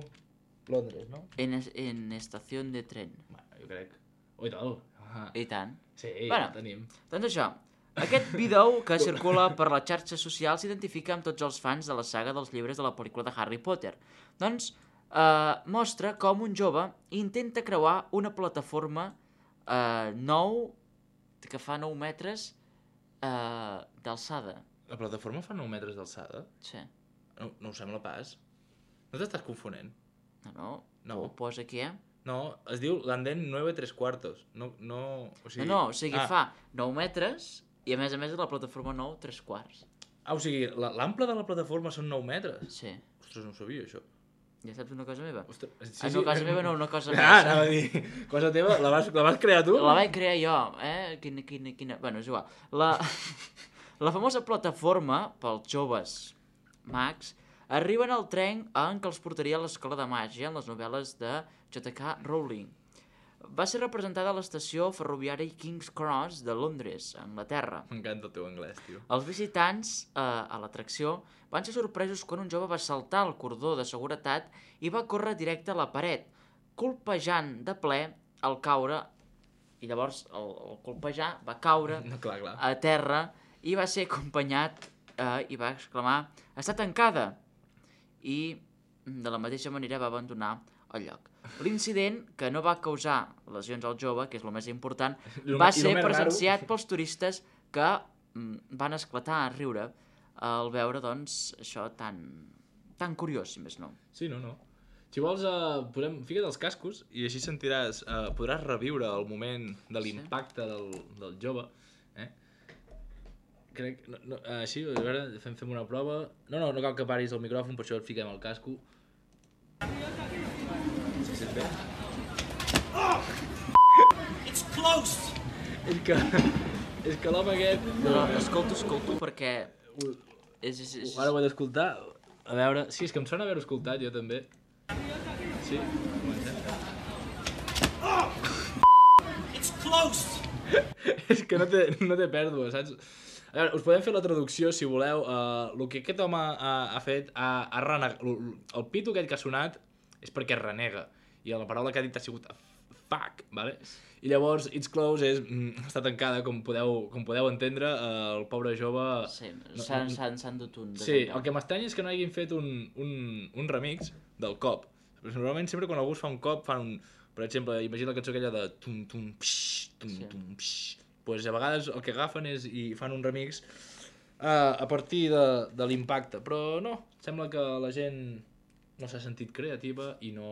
Londres, no? en, es- en estación de tren. Bueno, jo crec. Ui, tal. Ah, I tant. sí, Bueno. ja tenim. Doncs això, aquest vídeo que circula per les xarxes socials s'identifica amb tots els fans de la saga dels llibres de la pel·lícula de Harry Potter. Doncs eh, mostra com un jove intenta creuar una plataforma eh, nou, que fa nou metres eh, d'alçada. La plataforma fa nou metres d'alçada? Sí. No, no ho sembla pas. No t'estàs confonent? No, no, No. ho posa aquí, eh? No, es diu l'andén nueve tres cuartos. No, no... O sigui... No, no, o sigui, ah. fa nou metres i a més a més és la plataforma nou tres quarts. Ah, o sigui, la- l'ample de la plataforma són nou metres? Sí. Ostres, no ho sabia, això. Ja saps una cosa meva? Ostres, sí, Ah, no, casa meva no, una cosa Ah, més. anava a dir, cosa teva, la vas, la vas crear tu? La vaig crear jo, eh? Quina, quina, quina... Bueno, és igual. La, la famosa plataforma pels joves mags arriben al tren en què els portaria a l'escola de màgia en les novel·les de J K Rowling. Va ser representada a l'estació ferroviària King's Cross de Londres, a Anglaterra. M'encanta el teu anglès, tio. Els visitants eh, a l'atracció van ser sorpresos quan un jove va saltar el cordó de seguretat i va córrer directe a la paret, colpejant de ple al caure, i llavors el, el colpejar va caure No, clar, clar. a terra i va ser acompanyat eh, i va exclamar «Està tancada!» i de la mateixa manera va abandonar el lloc. L'incident, que no va causar lesions al jove, que és el més important, I el va me- i el ser més raro- presenciat pels turistes que mm, van esclatar a riure al veure, doncs, això tan, tan curiós, si més no. Sí, no, no. Si vols, uh, posem, fica't els cascos i així sentiràs, uh, podràs reviure el moment de l'impacte del, del jove. Eh? Crec, no, no, uh, així, a veure, fem, fem una prova. No, no, no cal que paris el micròfon, per això et fiquem el casco. Se sent bé? It's closed! És que, és que l'home aquest... Però escolto, escolto, perquè... És, és, és... Ara ho he d'escoltar. A veure... Sí, és que em sona haver-ho escoltat, jo també. Sí, comencem. It's closed! És que no té, no té pèrdua, saps? A veure, us podem fer la traducció, si voleu. Uh, el que aquest home ha, ha fet, ha, ha renegat... El pito aquest que ha sonat és perquè renega. I la paraula que ha dit ha sigut fuck, vale? I llavors, it's closed és... Mm, està tancada, com podeu, com podeu entendre, uh, el pobre jove... Sí, s'han s'han s'han dut un... de Sí, tancar. el que m'estranya és que no hagin fet un, un, un remix del cop. Normalment sempre quan algú es fa un cop fan un... Per exemple, imagina la cançó aquella de tum tum psh, tum Sí. tum psh. Pues a vegades el que agafen és i fan un remix uh, a partir de, de l'impacte. Però no, sembla que la gent no s'ha sentit creativa i no,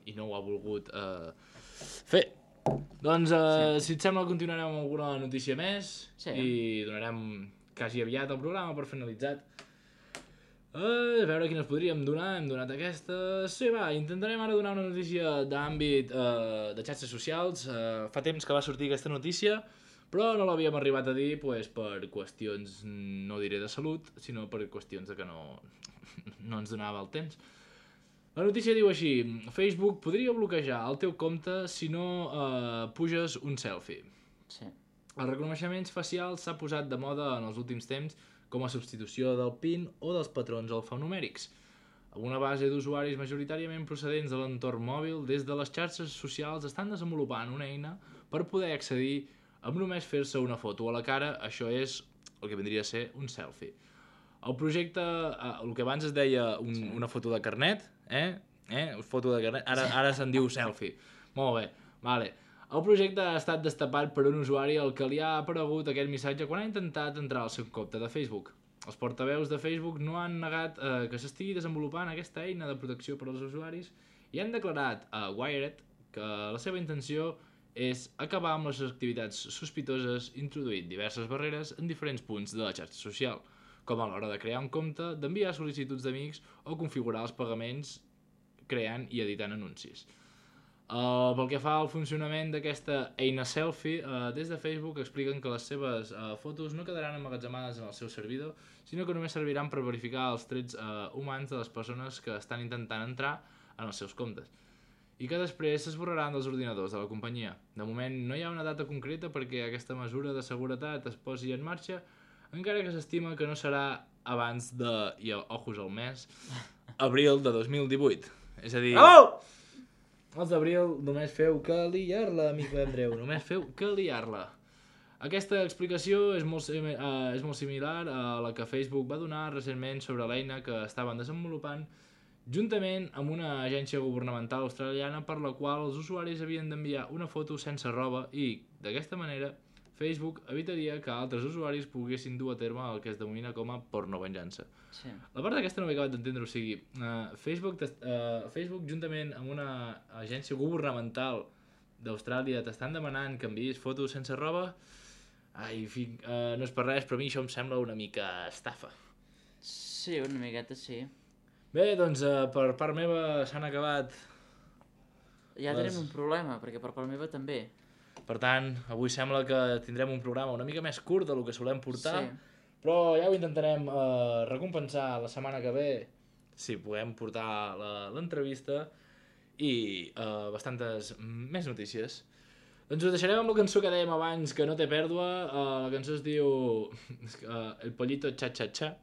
i no ho ha volgut uh, fer. Doncs, uh, sí. si et sembla, continuarem amb alguna notícia més Sí. i donarem quasi aviat el programa per finalitzat. Uh, a veure quines podríem donar, hem donat aquestes... Sí, va, intentarem ara donar una notícia d'àmbit uh, de xarxes socials. Uh, fa temps que va sortir aquesta notícia, però no l'havíem arribat a dir pues, per qüestions, no diré de salut, sinó per qüestions de que no, no ens donava el temps. La notícia diu així: Facebook podria bloquejar el teu compte si no uh, puges un selfie. Sí. Els reconeixements facials s'ha posat de moda en els últims temps com a substitució del PIN o dels patrons alfanumèrics. Amb una base d'usuaris majoritàriament procedents de l'entorn mòbil, des de les xarxes socials estan desenvolupant una eina per poder accedir amb només fer-se una foto a la cara, això és el que vindria a ser un selfie. El projecte, eh, el que abans es deia un, sí. una foto de carnet, eh? eh? Foto de carnet, ara, ara se'n diu selfie. Molt bé, vale. El projecte ha estat destapat per un usuari al que li ha aparegut aquest missatge quan ha intentat entrar al seu compte de Facebook. Els portaveus de Facebook no han negat eh, que s'estigui desenvolupant aquesta eina de protecció per als usuaris i han declarat a Wired que la seva intenció és acabar amb les activitats sospitoses introduint diverses barreres en diferents punts de la xarxa social, com a l'hora de crear un compte, d'enviar sol·licituds d'amics o configurar els pagaments creant i editant anuncis. Uh, pel que fa al funcionament d'aquesta eina selfie, uh, des de Facebook expliquen que les seves uh, fotos no quedaran emmagatzemades en el seu servidor, sinó que només serviran per verificar els trets uh, humans de les persones que estan intentant entrar en els seus comptes, i que després s'esborraran dels ordinadors de la companyia. De moment no hi ha una data concreta perquè aquesta mesura de seguretat es posi en marxa, encara que s'estima que no serà abans de, i ojos al mes, abril de dos mil divuit. És a dir... Bravo! Els d'abril només feu que liar-la, amic Andreu, només feu que liar-la. Aquesta explicació és molt, uh, és molt similar a la que Facebook va donar recentment sobre l'eina que estaven desenvolupant juntament amb una agència governamental australiana per la qual els usuaris havien d'enviar una foto sense roba i, d'aquesta manera, Facebook evitaria que altres usuaris poguessin dur a terme el que es denomina com a pornovenjança. Sí. La part d'aquesta no m'he acabat d'entendre, o sigui, uh, Facebook, uh, Facebook juntament amb una agència governamental d'Austràlia t'estan demanant que enviïs fotos sense roba. Ai, fi, uh, no és per res, però a mi això em sembla una mica estafa. Sí, una miqueta sí. Bé, doncs uh, per part meva s'han acabat. Ja Les- tenim un problema, perquè per part meva també. Per tant, avui sembla que tindrem un programa una mica més curt del que solem portar, Sí. però ja ho intentarem uh, recompensar la setmana que ve, si podem portar la- l'entrevista i uh, bastantes més notícies. Doncs us deixarem amb la cançó que dèiem abans, que no té pèrdua. Uh, la cançó es diu uh, El Pollito Cha Cha Cha.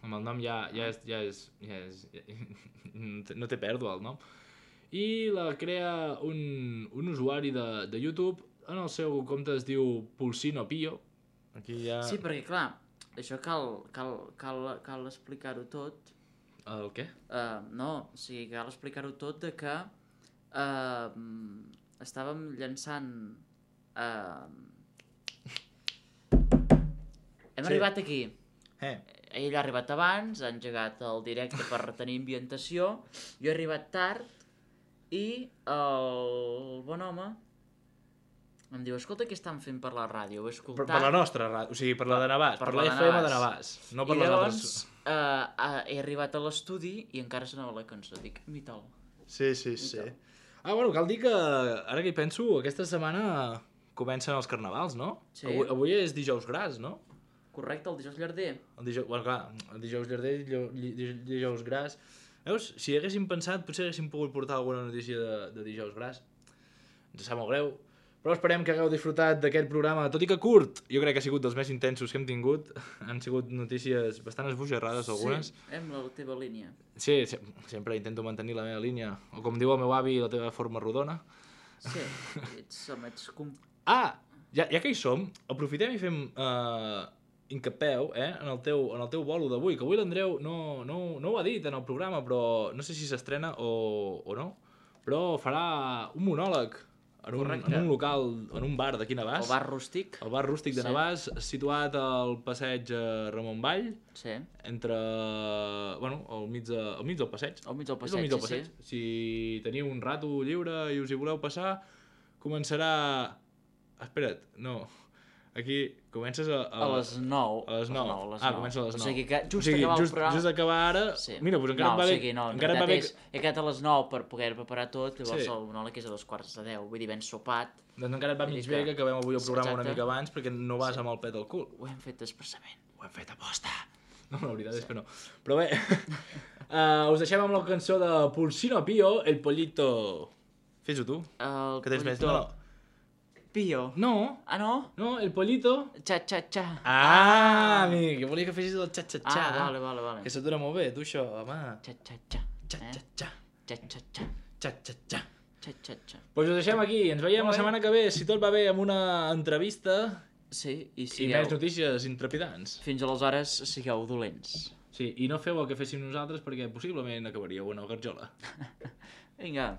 Amb el nom ja, ja és... Ja és, ja és ja, no té pèrdua el nom. I la crea un, un usuari de, de YouTube. En el seu compte es diu Pulsino Pio. Aquí ja... Sí, perquè clar, això cal, cal, cal, cal explicar-ho tot. El què? Uh, no, o sigui, cal explicar-ho tot de que uh, estàvem llançant... Uh... Hem Sí. arribat aquí. Eh. Ell ha arribat abans, ha engegat el directe per retenir ambientació, jo he arribat tard i el bon home em diu, escolta, què estan fent per la ràdio? Ho he Per, escoltat. per la nostra ràdio, o sigui, per la de Navàs, per, Per la la de F M de Navàs. Navàs, no per I les llavors altres. uh, uh, he arribat a l'estudi i encara sonava la cançó. Dic, mita'l. Sí, sí, sí. Ah, bueno, cal dir que, ara que hi penso, aquesta setmana comencen els carnavals, no? Sí. Avui, avui és dijous gras, no? Correcte, el dijous llarder. El dijous, bueno, clar, el dijous llarder, dijous, dijous, dijous gras. Veus, si haguéssim pensat, potser haguéssim pogut portar alguna notícia de, de dijous gras. Ens sap molt greu. Però esperem que hagueu disfrutat d'aquest programa, tot i que curt. Jo crec que ha sigut dels més intensos que hem tingut. Han sigut notícies bastant esbojarrades, algunes. Sí, hem la teva línia. Sí, sí, sempre intento mantenir la meva línia. O com diu el meu avi, la teva forma rodona. Sí, ets, home, ets... Com... Ah, ja, ja que hi som, aprofitem i fem uh, incapeu eh, en, el teu, en el teu bolo d'avui, que avui l'Andreu no, no, no ho ha dit en el programa, però no sé si s'estrena o, o no, però farà un monòleg en un, en un local, en un bar d'aquí Navàs. El bar rústic. El bar rústic de Sí. Navàs, situat al passeig eh, Ramon Vall, Sí. entre... bueno, al mig, de, al mig del passeig. Al mig del És passeig, al mig del sí, passeig. Si teniu un rato lliure i us hi voleu passar, començarà... Espera't, no. Aquí comences a... A les nou. A les nou. A les Ah, nou. comença a les nou. O sigui que just o sigui, acabar just, el programa... just acabar ara... Sí. Mira, doncs encara no, et va o bé... sigui, no, en encara et va bé... realitat és, he quedat a les nou per poder preparar tot, llavors Sí. el monòleg és a dos quarts de deu, vull dir, ben sopat. Doncs encara et va Vull mig dir bé que- que acabem avui el programa una Exacte. mica abans perquè no vas Sí. amb el pet al cul. Ho hem fet expressament. Ho hem fet a posta. No, la veritat és que no. Però bé, uh, us deixem amb la cançó de Pulsino Pio, El Pollito... Fes-ho tu, El que tens més... pollito- No, Pio. no, Ah, no? no, El Pollito... Xa, xa, xa. Ah, amic, que volia que fessis el xa-xa-xa. Ah, vale, vale, vale. Que se't dona molt bé, tu, això, home. Xa, xa, xa. Xa-xa-xa, Xa, xa, xa. xa-xa-xa. Xa, xa, xa. Doncs us deixem aquí, ens veiem la setmana que ve, si tot va bé, amb una entrevista Sí, i i sigueu... més notícies intrepidants. Fins aleshores, sigueu dolents. Sí, i no feu el que féssim nosaltres perquè possiblement acabaríeu en el garjola. Vinga.